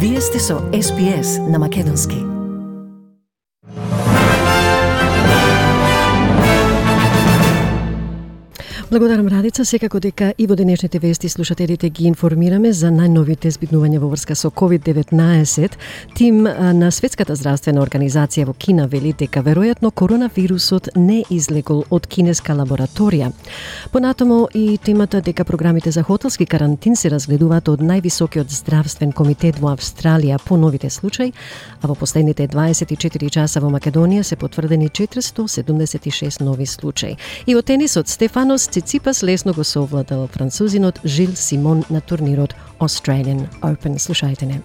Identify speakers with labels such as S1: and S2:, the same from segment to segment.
S1: Вие сте со SPS на Македонски. Благодарам, Радица. Секако дека и во денешните вести слушателите ги информираме за најновите збитнувања во врска со COVID-19. Тим на Светската здравствена организација во Кина вели дека веројатно коронавирусот не излегол од кинеска лабораторија. Понатамо и темата дека програмите за хотелски карантин се разгледуваат од највисокиот здравствен комитет во Австралија по новите случаи, а во последните 24 часа во Македонија се потврдени 476 нови случаи. И од тенисот Стефанос Циципас лесно го совладал французинот Жил Симон на турнирот Australian Open. Слушајте не.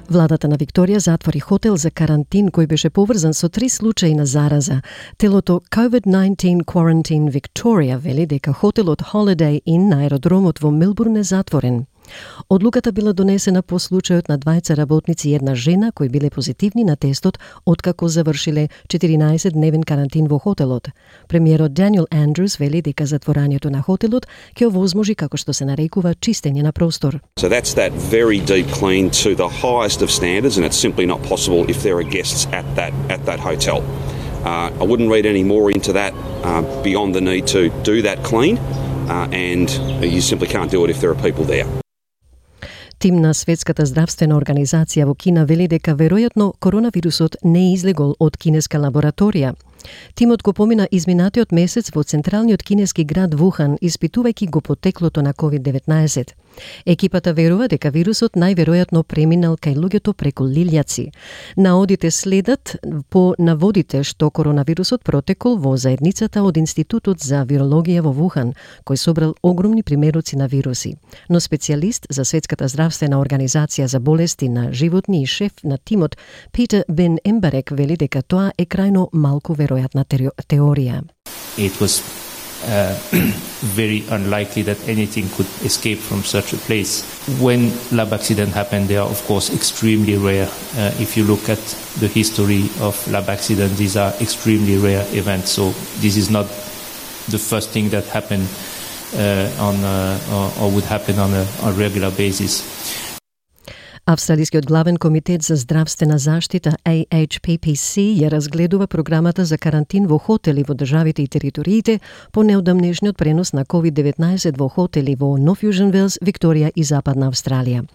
S1: Владата на Викторија затвори хотел за карантин кој беше поврзан со 3 случаи на зараза. Телото COVID-19 Quarantine Victoria вели дека хотелот Holiday Inn на аеродромот во Мелбурн е затворен. Одлуката била донесена по случајот на двајца работници и една жена кои биле позитивни на тестот откако завршиле 14-дневен карантин во хотелот. Премиерот Даниел Андрус вели дека затворањето на хотелот ќе овозможи, како што се нарекува, чистење на простор.
S2: So that's that very deep clean to the highest of standards, and it's simply not possible if there are guests at that hotel. I wouldn't read any more into that beyond the need to do that clean, and you simply can't do it if there are people there.
S1: Тим на Светската здравствена организација во Кина вели дека веројатно коронавирусот не излегол од кинеска лабораторија. Тимот го помина изминатиот месец во централниот кинески град Вухан, испитувајќи го потеклото на COVID-19. Екипата верува дека вирусот најверојатно преминал кај луѓето преку лилјаци. Наодите следат по наводите што коронавирусот протекол во заедницата од Институтот за вирологија во Вухан, кој собрал огромни примероци на вируси. Но специјалист за Светската здравствена организација за болести на животни и шеф на тимот Питер Бен Ембарек вели дека тоа е крајно малку веројатна теорија.
S3: It was very unlikely that anything could escape from such a place. When lab accident happened, they are of course extremely rare. If you look at the history of lab accidents, these are extremely rare events. So this is not the first thing that happened or would happen on a regular basis.
S1: Австралискиот главен комитет за здравствена заштита AHPPC ја разгледува програмата за карантин во хотели во државите и териториите по неодамнешниот пренос на COVID-19 во хотели во Нов Јужен Велс, Викторија и Западна Австралија.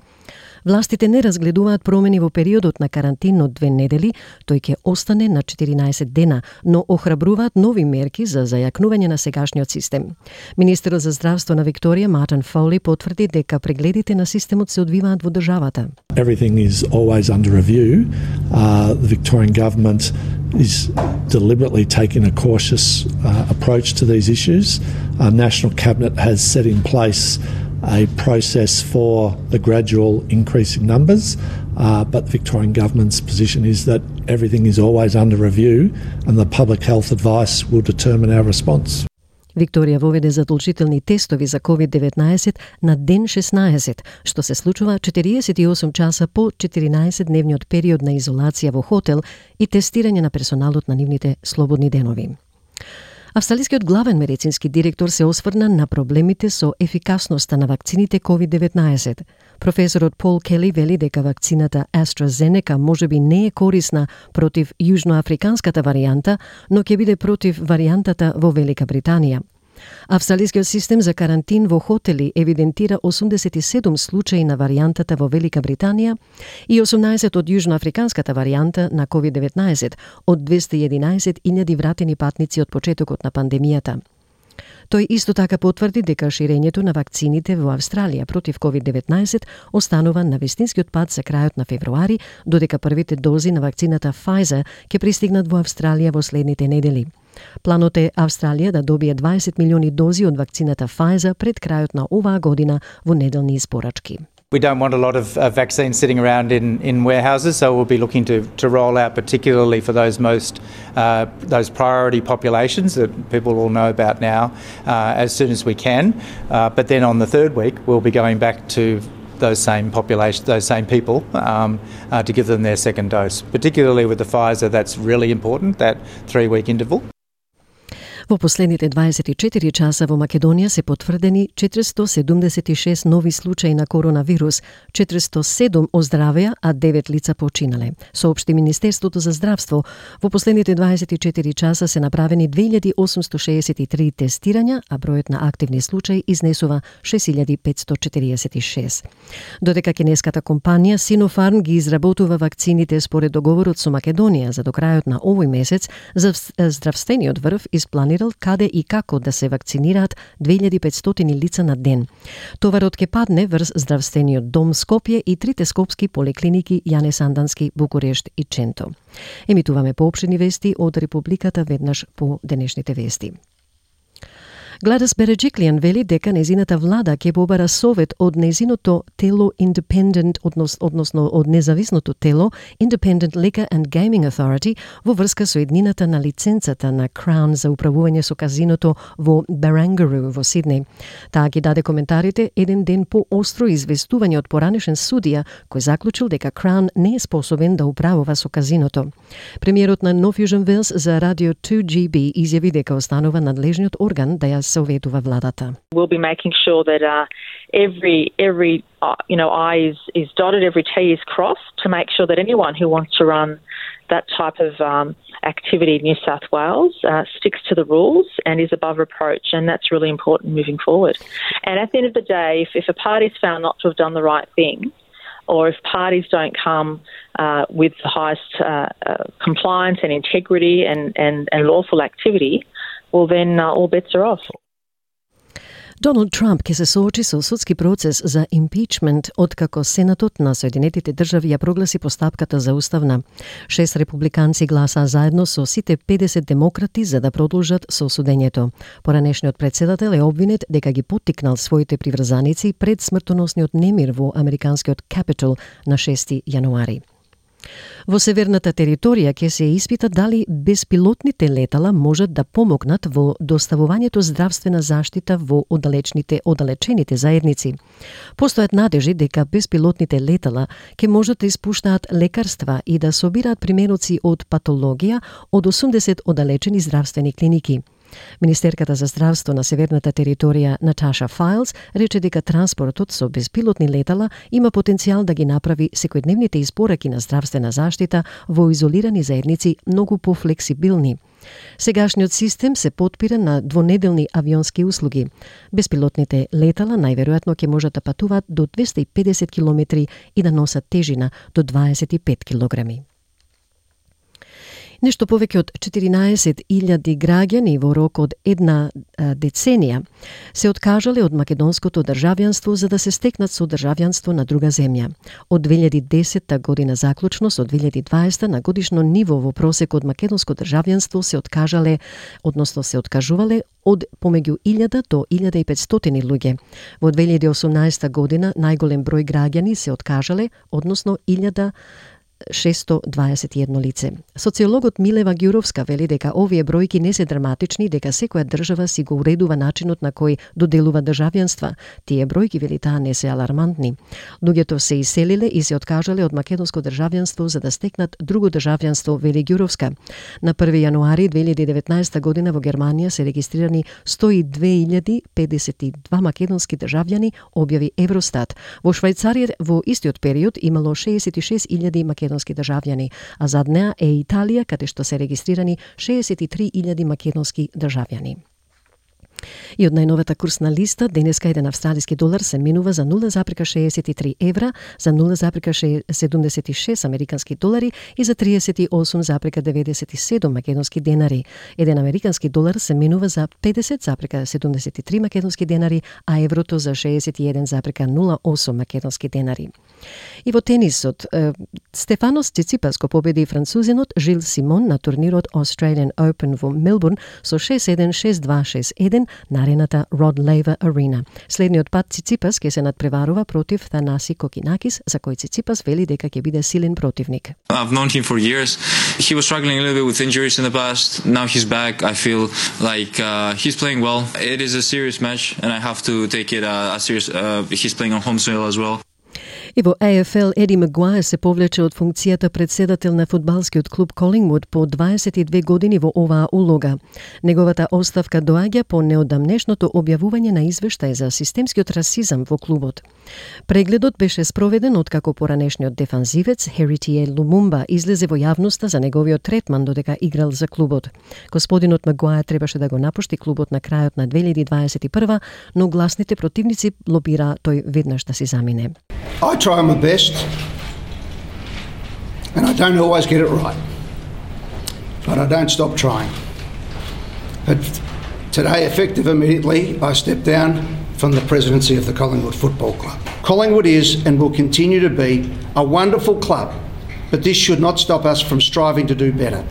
S1: Властите не разгледуваат промени во периодот на карантин од 2 недели, тој ќе остане на 14 дена, но охрабруваат нови мерки за зајакнување на сегашниот систем. Министерот за здравство на Викторија, Мартин Фоли, потврди дека прегледите на системот се одвиваат во државата.
S4: Everything is always under review. The Victorian government is deliberately taking a cautious approach to these issues. Our National Cabinet has set in place a process for the gradual increase in numbers, but the Victorian government's position is that everything is always under review and the public health advice will determine our response.
S1: Викторија воведе задолжителни тестови за COVID-19 на ден 16, што се случува 48 часа по 14-дневниот период на изолација во хотел и тестирање на персоналот на нивните слободни денови. Австралискиот главен медицински директор се осврна на проблемите со ефикасноста на вакцините COVID-19. Професорот Пол Кели вели дека вакцината AstraZeneca можеби не е корисна против јужноафриканската варијанта, но ќе биде против варијантата во Велика Британија. Австралискиот систем за карантин во хотели евидентира 87 случаи на варијантата во Велика Британија и 18 од јужноафриканската варијанта на COVID-19 од 211.000 вратени патници од почетокот на пандемијата. Тој исто така потврди дека ширењето на вакцините во Австралија против COVID-19 останува на вистинскиот пат за крајот на февруари, додека првите дози на вакцината Pfizer ќе пристигнат во Австралија во следните недели. Планот е Австралија да добие 20 милиони дози од вакцината Pfizer пред крајот на оваа година во неделни испорачки.
S5: We don't want a lot of vaccines sitting around in warehouses, so we'll be looking to roll out, particularly for those priority populations that people all know about now, as soon as we can. But then on the third week, we'll be going back to those same population, those same people, to give them their second dose. Particularly with the Pfizer, that's really important, that 3-week interval.
S1: Во последните 24 часа во Македонија се потврдени 476 нови случаи на коронавирус, 407 оздравеа, а 9 лица починале. Соопшти Министерството за здравство. Во последните 24 часа се направени 2863 тестирања, а бројот на активни случаи изнесува 6546. Додека кинеската компанија Sinopharm ги изработува вакцините според договорот со Македонија за до крајот на овој месец, здравствениот врв испланирал каде и како да се вакцинираат 2500 лица на ден. Товарот ќе падне врз здравствениот дом Скопје и трите скопски поликлиники Јане Сандански, Букурешт и Ченто. Емитуваме поопштени вести од Републиката веднаш по денешните вести. Гладис Береджиклијан вели дека незината влада ќе побара совет од незиното тело Independent, односно од независното тело Independent Liquor and Gaming Authority во врска со еднината на лиценцата на Crown за управување со казиното во Barangaroo во Сиднеј. Таа ги даде коментарите еден ден по остро известување од поранешен судија кој заклучил дека Crown не е способен да управува со казиното. Премиерот на North Fusion Wales за радио 2GB изјави дека останува надлежниот орган да ја советува владата.
S6: We'll be making sure that every I is dotted, every T is crossed to make sure that anyone who wants to run that type of activity in New South Wales sticks to the rules and is above reproach, and that's really important moving forward. And at the end of the day, if a party is found not to have done the right thing, or if parties don't come with the highest compliance and integrity and lawful activity, well then all bets are off.
S1: Доналд Трамп ќе се соочи со судски процес за импичмент откако Сенатот на Соединетите држави ја прогласи постапката за уставна. 6 републиканци гласаа заедно со сите 50 демократи за да продолжат со осудењето. Поранешниот председател е обвинет дека ги поттикнал своите приврзаници пред смртоносниот немир во американскиот Capitol на 6 јануари. Во северната територија ќе се испита дали беспилотните летала можат да помогнат во доставувањето здравствена заштита во оддалечените заедници. Постојат надежи дека беспилотните летала ќе можат да испуштаат лекарства и да собираат примероци од патологија од 80 оддалечени здравствени клиники. Министерката за здравство на северната територија Наташа Файлс рече дека транспортот со беспилотни летала има потенцијал да ги направи секојдневните испораки на здравствена заштита во изолирани заедници многу пофлексибилни. Сегашниот систем се потпира на двонеделни авионски услуги. Беспилотните летала најверојатно ќе можат да патуваат до 250 километри и да носат тежина до 25 килограми. Нешто повеќе од 14.000 граѓани во рок од една деценија се откажале од македонското државјанство за да се стекнат со државјанство на друга земја. Од 2010 година заклучно со 2020 на годишно ниво во просек од македонско државјанство се откажале, односно се откажувале од помеѓу 1000 до 1500 луѓе. Во 2018 година најголем број граѓани се откажале, односно 1621 лице. Социологот Милева Ѓуровска вели дека овие бројки не се драматични, дека секоја држава си го уредува начинот на кој доделува државјанства. Тие бројки, вели таа, не се алармантни. Луѓето се иселиле и се откажале од македонско државјанство за да стекнат друго државјанство, вели Ѓуровска. На 1 јануари 2019 година во Германија се регистрирани 102.052 македонски државјани, објави Евростат. Во Швајцарија во истиот период имало 66.000 македонски државјани, а зад неа е Италија, каде што се регистрирани 63.000 македонски државјани. И од најновата курсна листа, денеска еден австралиски долар се менува за 0,63 евра, за 0,76 американски долари и за 38,97 македонски денари. Еден американски долар се менува за 50,73 македонски денари, а еврото за 61,08 македонски денари. И во тенисот, Стефанос Циципас го победи французинот Жил Симон на турнирот Australian Open во Мелбурн со 6-1, 6-2, 6-1 на арената Rod Laver Arena. Следниот пат Циципас ќе се надпреварува против Thanasis Kokkinakis, за кој Циципас вели дека ќе биде силен противник.
S7: I've known him for years. He was struggling a little bit with injuries in the past. Now he's back. I feel like he's playing well. It is a serious match and I have to take it as serious. He's playing on home soil as well.
S1: И во AFL Еди Магуаер се повлече од функцијата председател на фудбалскиот клуб Колингвуд по 22 години во оваа улога. Неговата оставка доаѓа по неодамнешното објавување на извештај за системскиот расизам во клубот. Прегледот беше спроведен откако поранешниот дефанзивец Херитие Лумумба излезе во јавноста за неговиот третман додека играл за клубот. Господинот Магуаер требаше да го напушти клубот на крајот на 2021, но гласните противници лобира тој веднаш да си замине.
S8: I try my best, and I don't always get it right, but I don't stop trying. But today, effective immediately, I step down from the presidency of the Collingwood Football Club. Collingwood is and will continue to be a wonderful club, but this should not stop us from striving to do better.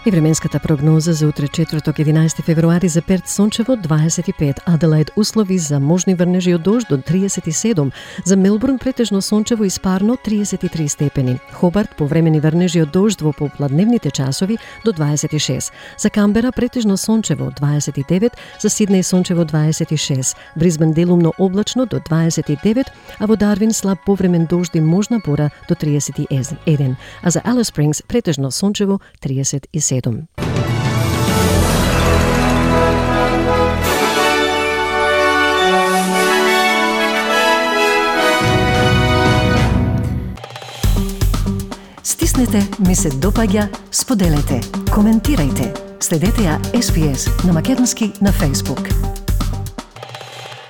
S1: И временската прогноза за утре четврток 11 февруари за Перт сончево 25, Аделаид услови за можни врнежи од дожд до 37, за Мелбурн претежно сончево и спарно 33 степени, Хобарт повремени врнежи од дожд во попладневните часови до 26, за Камбера претежно сончево 29, за Сиднеј сончево 26, Брисбен делумно облачно до 29, а во Дарвин слаб повремен дожд и можна бора до 31, а за Алис Спрингс претежно сончево 37.
S9: Стиснете, ми се допаѓа, споделете, коментирајте. Следете ја SPS на македонски на Facebook.